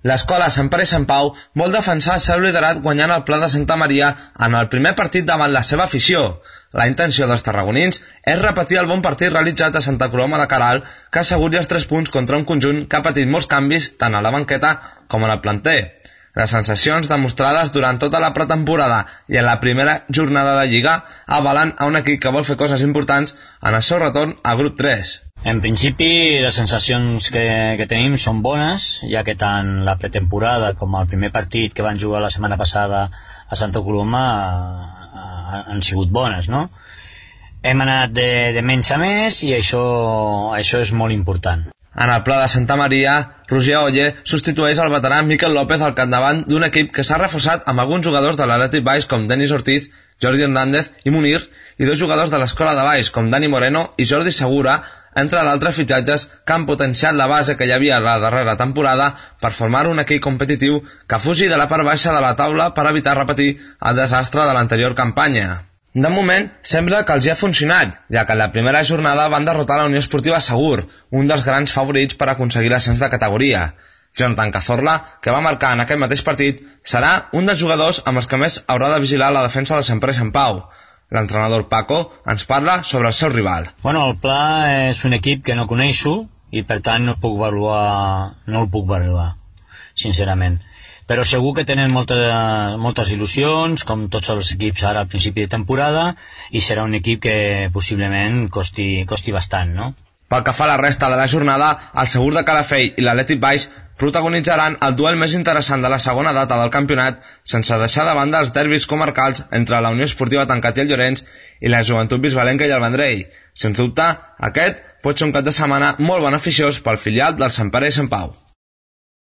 L'escola Sant Pere i Sant Pau vol defensar el seu liderat guanyant el Pla de Santa Maria en el primer partit davant la seva afició. La intenció dels tarragonins és repetir el bon partit realitzat a Santa Coloma de Queralt, que asseguri els 3 punts contra un conjunt que ha patit molts canvis tant a la banqueta com en el planter. Les sensacions demostrades durant tota la pretemporada i en la primera jornada de Lliga avalen a un equip que vol fer coses importants en el seu retorn al grup 3. En principi, les sensacions que tenim són bones, ja que tant la pretemporada com el primer partit que van jugar la setmana passada a Santa Coloma han sigut bones, no? Hem anat de menys a més i això és molt important. En el Pla de Santa Maria, Roger Olle substitueix el veterà Miquel López al capdavant d'un equip que s'ha reforçat amb alguns jugadors de l'Atlètic Baix com Denis Ortiz, Jordi Hernández i Munir, i 2 jugadors de l'Escola de Baix com Dani Moreno i Jordi Segura, entre d'altres fitxatges que han potenciat la base que hi havia la darrera temporada per formar un equip competitiu que fugi de la part baixa de la taula per evitar repetir el desastre de l'anterior campanya. De moment, sembla que els hi ha funcionat, ja que en la primera jornada van derrotar la Unió Esportiva Segur, un dels grans favorits per aconseguir l'ascens de categoria. Jonathan Cazorla, que va marcar en aquest mateix partit, serà un dels jugadors amb els que més haurà de vigilar la defensa del Sant Pere i Sant Pau. L'entrenador Paco ens parla sobre el seu rival. Bueno, el Pla és un equip que no coneixo i per tant no el puc valorar, sincerament. Però segur que tenen moltes il·lusions, com tots els equips ara al principi de temporada, i serà un equip que possiblement costi bastant, no? Pel que fa a la resta de la jornada, el Segur de Calafell i l'Atlètic Baix protagonitzaran el duel més interessant de la segona data del campionat, sense deixar de banda els derbis comarcals entre la Unió Esportiva Tancat i el Llorenç i la Joventut Bisbalenca i el Vendrell. Sens dubte, aquest pot ser un cap de setmana molt beneficiós pel filial del Sant Pere i Sant Pau.